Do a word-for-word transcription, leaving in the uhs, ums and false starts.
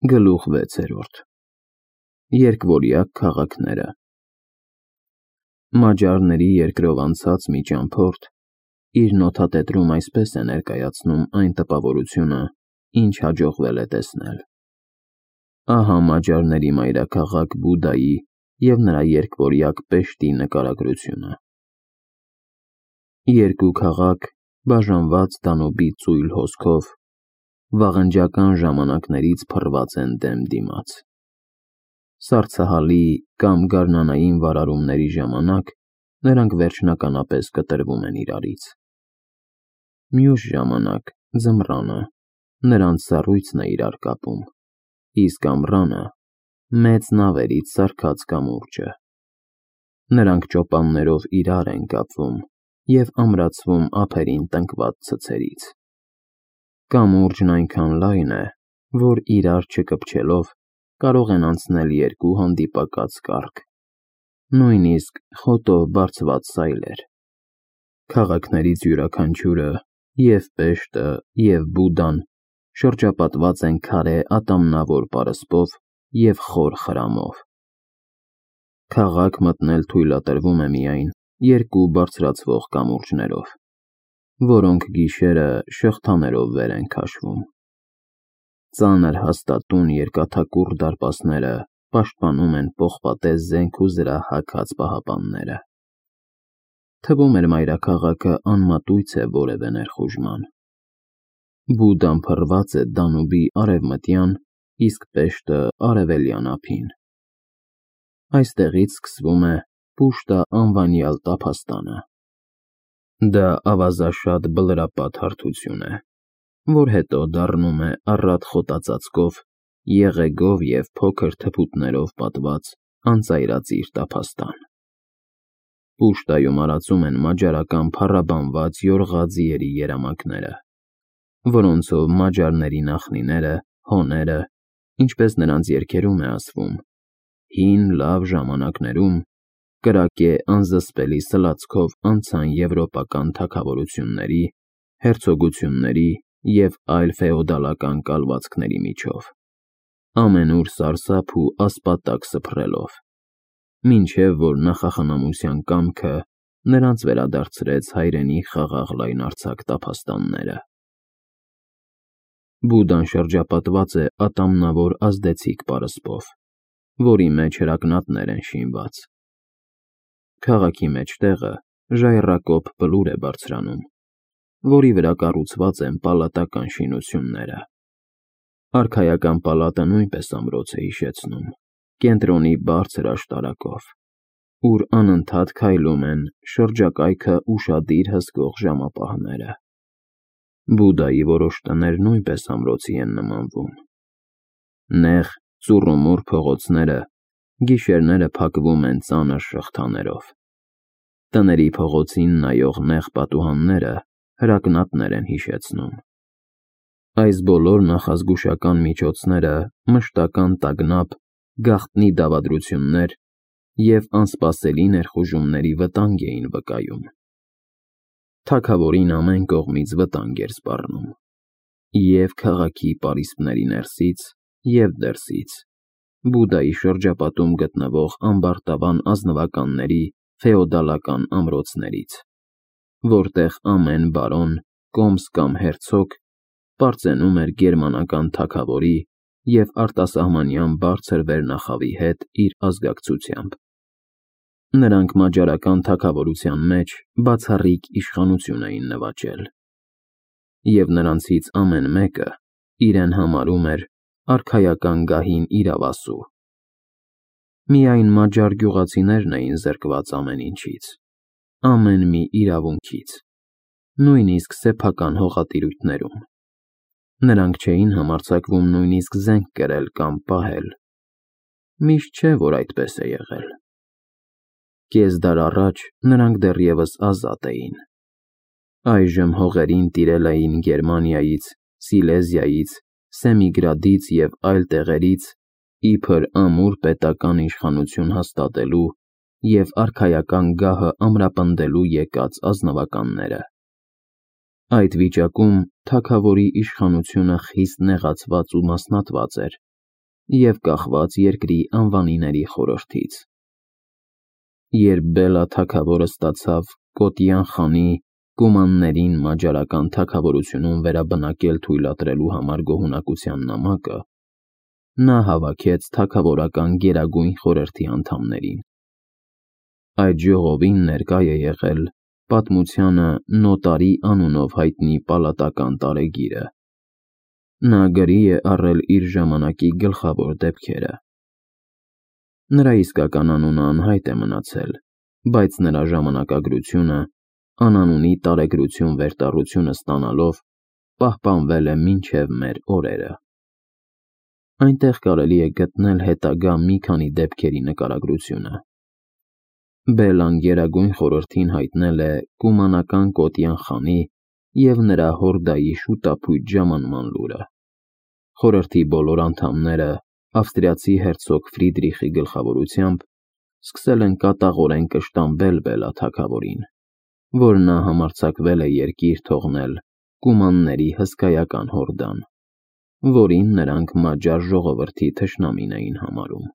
Գլուխ վեցերորդ Երկվորյակ քաղաքները Մաջարների երկրով անցած մի ճամփորդ իր նոթատետրում այսպես է ներկայացնում այն տպավորությունը, ինչ հաջողվել է տեսնել. Ահա մաջարների մայրաքաղաք Բուդայի և նրա երկվորյակ Պեշտի նկարագրությունը։ Երկու քաղաք, բաժանված Դանուբի ծույլ հոսքով, վաղնջական ժամանակներից փռված են դեմ դիմաց։ Սառցահալի կամ գարնանային վարարումների ժամանակ նրանք վերջնականապես կտրվում են իրարից։ Մյուս ժամանակ ձմռանը նրանց սառույցն է իրար կապում, իսկ ամռանը մեծ նավերից սարքած կամուրջը։ Նրանք ճոպաններով իրար են կապվում և ամրացվում ափերին տնկված ցցերից։ Կամուրջն այնքան լայն է, որ իրար չկպչելով կարող են անցնել երկու հանդիպակաց կառք, նույնիսկ խոտով բարձված սայլեր։ Քաղաքներից յուրաքանչյուրը, և Պեշտը, և Բուդան, շրջապատված են քարե ատամնավոր պարսպով և խոր խրամով։ Քաղաք մտնել թույլատրվում է միայն երկու բարձրացվող կամուրջներով, որոնք գիշերը շղթաներով վեր են քաշվում։ Ծանր հաստատուն երկաթակուռ դարպասները պաշտպանում են պողպատե զենք ու զրահ հագած պահապանները։ Թվում էր մայրաքաղաքը անմատույց է որևէ ներխուժման։ Բուդան փռված է Դանուբի արևմտյան, իսկ Պեշտը արևելյան ափին։ Այստեղից սկսվում է Պուշտա անվանյալ տափաստանը։ Դա ավազաշատ բլրապատ հարթություն է, որ հետո դառնում է առատ խոտածածկով, եղեգով և փոքր թփուտներով պատված անծայրածիր տափաստան։ Պուշտայում արածում են մաջարական փառաբանված յորղա ձիերի երամակները, որոնցով մաջարների նախնիները, հոները, ինչպես նրանց երգերում է ասվում, հին լավ ժամանակներում կրակե անզսպելի սլացքով անցան եվրոպական թագավորությունների, հերցոգությունների և այլ ֆեոդալական կալվածքների միջով, ամենուր սարսափ ու ասպատակ սփռելով, մինչև որ նախախնամության կամքը նրանց վերադարձրեց հայրենի խաղաղ լայնարձակ տափաստանները։ Բուդան շրջապատված է ատամնավոր ազդեցիկ պարսպով, որի մեջ հրակնատներ են շինված։ Քաղաքի մեջտեղը ժայռակոպ բլուր է բարձրանում, որի վրա կառուցված են պալատական շինությունները։ Արքայական պալատը նույնպես ամրոց է հիշեցնում, կենտրոնի բարձր աշտարակով, ուր անընդհատ քայլում են շրջակայքը ուշադիր հսկող ժամապահները։ Բուդայի որոշ տներ նույնպես ամրոցի են նմանվում։ Նեղ, ծուռումուռ փողոցները գիշերները փակվում են ծանր շղթաներով։ Տների փողոցին նայող նեղ պատուհանները հրակնատներ են հիշեցնում։ Այս բոլոր նախազգուշական միջոցները մշտական տագնապ, գաղտնի դավադրություններ և անսպասելի ներխուժումների վտանգ էին վկայում։ Թագավորին ամեն կողմից վտանգ էր սպառնում, և քաղաքի պարիսպների ներսից և դրսից, Բուդայի շրջապատում գտնվող ամբարտավան ազնվականների ֆեոդալական ամրոցներից, որտեղ ամեն բարոն, կոմս կամ հերցոգ պարծենում էր գերմանական թագավորի և արտասահմանյան բարձր վերնախավի հետ իր ազգակցությամբ։ Նրանք մաջարական թագավորության մեջ բացառիկ իշխանություն էին նվաճել, և նրանցից ամեն մեկը իրեն համարում էր արքայական գահին իրավասու։ Միայն մաջար գյուղացիներն էին զրկված ամեն ինչից, ամեն մի իրավունքից, նույնիսկ սեփական հողատիրույթներում։ Նրանք չէին համարձակվում նույնիսկ զենք կրել կամ պահել։ Միշտ չէ, որ այդպես է եղել։ Կես դար առաջ նրանք դեռևս ազատ էին։ Այժմ հողերին տիրել էին Գերմանիայից, Սիլեզիայից, Սեմիգրադից և այլ տեղերից իբր ամուր պետական իշխանություն հաստատելու և արքայական գահը ամրապնդելու եկած ազնվականները։ Այդ վիճակում թագավորի իշխանությունը խիստ նեղացված ու մասնատված էր, և կախված երկրի անվանիների խորհրդից։ Երբ Բելա թագավորը ստացավ Կոտյան խանի կումաններին մաջարական թագավորությունում վերաբնակել թույլատրելու համար գոհունակության նամակը, նա հավաքեց թագավորական Գերագույն խորհրդի անդամներին։ Այդ ժողովին ներկա է եղել պատմությանը Նոտարի անունով հայտնի պալատական տարեգիրը։ Նա գրի է առել իր ժամանակի գլխավոր դեպքերը։ Նրա իսկական անունը անհայտ է մնացել, բայց նրա ժամանակագրությունը, անանունի տարեգրություն վերտառությունը ստանալով, պահպանվել է մինչև մեր օրերը։ Այնտեղ կարելի է գտնել հետագա մի քանի դեպքերի նկարագրությունը։ Բելլան Գերագույն խորհրդին հայտնել է կումանական Կոտյան խանի և նրա հորդայի շուտափույթ ժամանման լուրը։ Խորհրդի բոլոր անդամները ավստրիացի հերցոգ Ֆրիդրիխի գլխավորությամբ սկսել են կատաղորեն կշտամբել Բելլա թագավորին, որ նա համարձակվել է երկիր թողնել կումանների հսկայական հորդան, որին նրանք մաջար ժողովրդի թշնամին էին համարում։